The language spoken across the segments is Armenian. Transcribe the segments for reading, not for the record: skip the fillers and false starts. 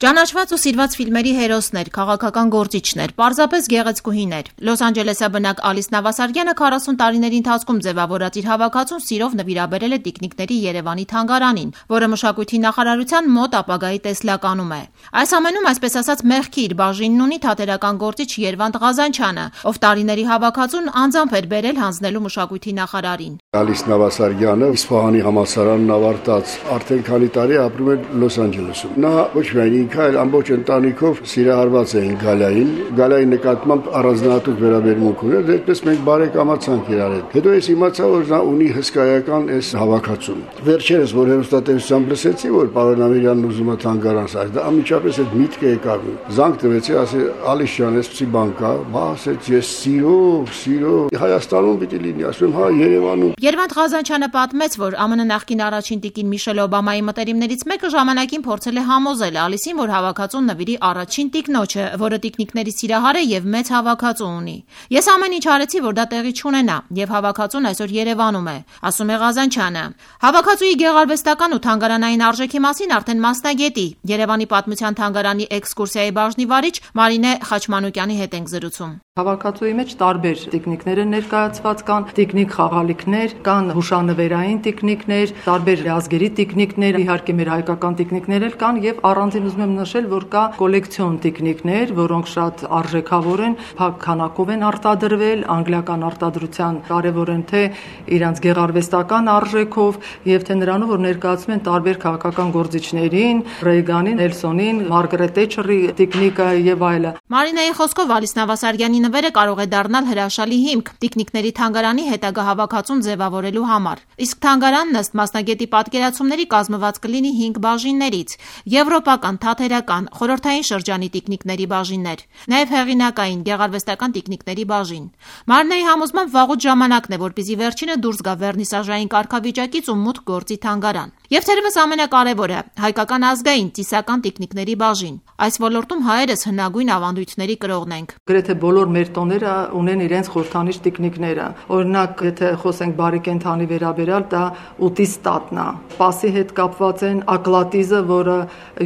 Ճանաչված ու սիրված ֆիլմերի հերոսներ, քաղաքական գործիչներ, պարզապես գեղեցկուհիներ։ Լոս Անջելեսի բնակ Ալիս Նավասարդյանը 40 տարիների ընթացքում ձևավորած իր հավաքածուն սիրով նվիրաբերել է տիկնիկների Երևանի թանգարանին, որը մշակույթի նախարարության մոտ ապագայի տեսլականում է։ Այս ամենում, այսպես ասած, մեղքի իր բաժինն ունի թատերական գործիչ Երվանդ Ղազանչյանը, ով տարիների հավաքածուն անձամբ էր բերել հանձնելու մշակույթի նախարարին։ Ալիս Նավասարդյանը Իսպահանի համալսարանն ավարտած, արդեն քանի տարի ապրում է Լոս Անջելեսում։ Նա ոչ միայն ինքը, այլ ամբողջ ընտանիքով սիրահարված էին Գալայի նկատմամբ առանձնահատուկ վերաբերմունք ուներ, դեպպես մենք բարեկամացանք իրար հետ։ Հետո ես իմացա, որ նա ունի հսկայական այս հավաքածուն։ Վերջերս, որ հեռուստատեսությամբ լսեցի, որ պարոն Ամիրյանն ուզում է թանգարան ստեղծել, դա անմիջապես այդ միտքը եկավ։ Զանգ տվեցի, ասի Ալիս ջան, էսպիսի բան կա, ասեց ես սիրով Հայաստանում պիտի լինի, ասում հա Երևանում։ Երվանդ Ղազանչյանը պատմեց, որ ԱՄՆ նախկին առաջին տիկին Միշել Օբամայի մտերիմներից մեկը ժամանակին փորձել է համոզել Ալիսին, որ հավաքածուն նվիրի առաջին տիկնոջը, որը տիկնիկների սիրահար է եւ մեծ հավաքածու ունի։ Ես ամեն ինչ արեցի, որ դա տեղի չունենա, եւ հավաքածուն այսօր Երևանում է, ասում է Ղազանչյանը։ Հավաքածուի գեղարվեստական ու թանգարանային արժեքի մասին արդեն մասնագետի, Երևանի պատմության թանգարանի էքսկուրսիայի բաժնի վարիչ Մարինե Խաչմանուկյանի հետ ենք զրուցում։ Հավաքածուի մեջ տարբեր տիկնիկներ են ներկայացված, կան տիկնիկ խաղալիքներ, կան հուշանվերային տիկնիկներ, տարբեր ազգերի տիկնիկներ, իհարկե մեր հայկական տիկնիկներ էլ կան եւ առանձին ուզում եմ նշել, որ կա կոլեկցիոն տիկնիկներ, որոնք շատ արժեքավոր են, փակ քանակով են արտադրվել, անգլիական արտադրության կարևոր են թե իրանց գեղարվեստական արժեքով եւ թե նրանով, որ ներկայացնում են տարբեր քաղաքական գործիչներին, Ռեյգանին, Նելսոնին, Մարգարետ Թետչերի տիկնիկը եւ այլը։ Մարինեի խոսքով Ալիս Նավասարդյանի նվերը կարող է դառնալ հրաշալի հիմք տիկնիկների թանգարանի հետագա հավաքածուն ձևավորելու համար։ Իսկ թանգարանն ըստ մասնագետի պատկերացումների կազմված կլինի 5 բաժիններից՝ եվրոպական, թատերական, խորհրդային շրջանի տիկնիկների բաժիններ, նաև հեղինակային, գեղարվեստական տիկնիկների բաժին։ Մարինեի համոզմամբ վաղուց ժամանակն է, որպեսզի վերջինը դուրս գա վերնիսաժային կարգավիճակից ու մուտք գործի թանգարան։ Եվ թերևս ամենակարևորը՝ հայկական ազգային ծիսական տիկնիկների բաժին։ Այս ոլորտում հայերս հնագույն ավանդույթների կրողն ենք։ Գրեթե բոլոր մեր տոները ունեն իրենց խորհրդանիշ տիկնիկները։ Օրինակ, եթե խոսենք բարի կենդանի վերաբերյալ, դա ուտիստատն է։ Սպասի հետ կապված են ակլատիզը, որը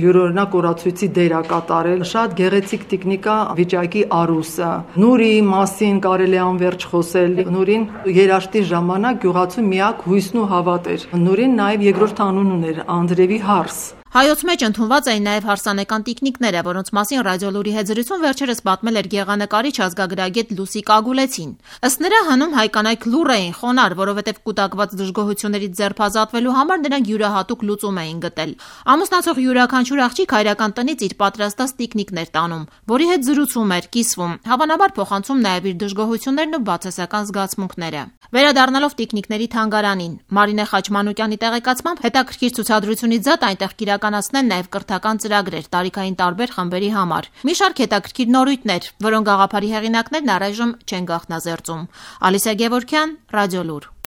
յուրօրինակ օրացույցի դեր է կատարել։ Շատ գեղեցիկ տիկնիկա վիճակի արուսը։ Նուրի մասին կարելի է անվերջ խոսել։ Նուրին երաշտի ժամանակ գյուղացու միակ հույսն ու հավատն էր։ Նուրին նաև երկրորդ անուն ուներ Անդրեվի Հարս։ Հայոց մեջ ընդունված էին նաև հարսանեկան տիկնիկները, որոնց մասին Ռադիոլուրի հետ զրույցում վերջերս պատմել էր գեղանկարիչ ազգագրագետ Լուսի Կագուլեցին։ Ըստ նրա, հնում հայկանայք լուռ էին, խոնարհ, որովհետև կուտակված դժգոհություններից ձերբազատվելու համար նրանք յուրահատուկ լուծում էին գտել։ Ամուսնացող յուրաքանչյուր աղջիկ հայրական տնից իր պատրաստած տիկնիկներ տանում, որի հետ զրուցում էր, կիսվում, հավանաբար փոխանցում նաև իր դժգոհություններն ու բացասական զգացմունքները։ Վերադառնալով տիկնիկների թանգարանին, Մարինե Խաչմանուկյանի տեղեկացմամբ հետաքրքիր ցուցադրությունից զատ այնտեղ իրականացնեն նաև կրթական ծրագրեր տարիքային տարբեր խմբերի համար։ Մի շարք հետաքրքիր նորույթներ, որոնք գաղափարի հեղինակներն առայժմ չեն գաղտնազերծում։ Ալիսա Գևորգյան, Ռադիոլուր։